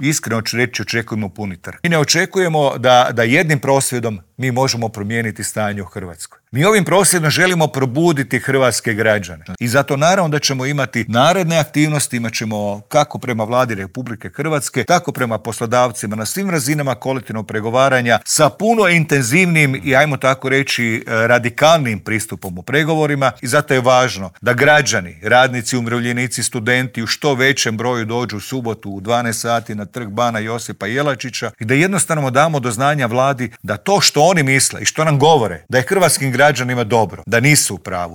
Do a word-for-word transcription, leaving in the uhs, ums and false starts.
iskreno ću reći, očekujemo puni trg. Mi ne očekujemo da, da jednim prosvjedom mi možemo promijeniti stanje u Hrvatskoj. Mi ovim prosvjedom želimo probuditi hrvatske građane. I zato naravno da ćemo imati naredne aktivnosti, imat ćemo kako prema Vladi Republike Hrvatske, tako prema poslodavcima na svim razinama kolektivnog pregovaranja sa puno intenzivnim i, ajmo tako reći, radikalnim pristupom u pregovorima. I zato je važno da građani, radnici, umirovljenici, studenti u što većem broju dođu u subotu u dvanaest sati na trg Bana Josipa Jelačića i da jednostavno damo do znanja Vladi da to što oni misle i što nam govore, da je hrvatskim građanima dobro, da nisu u pravu,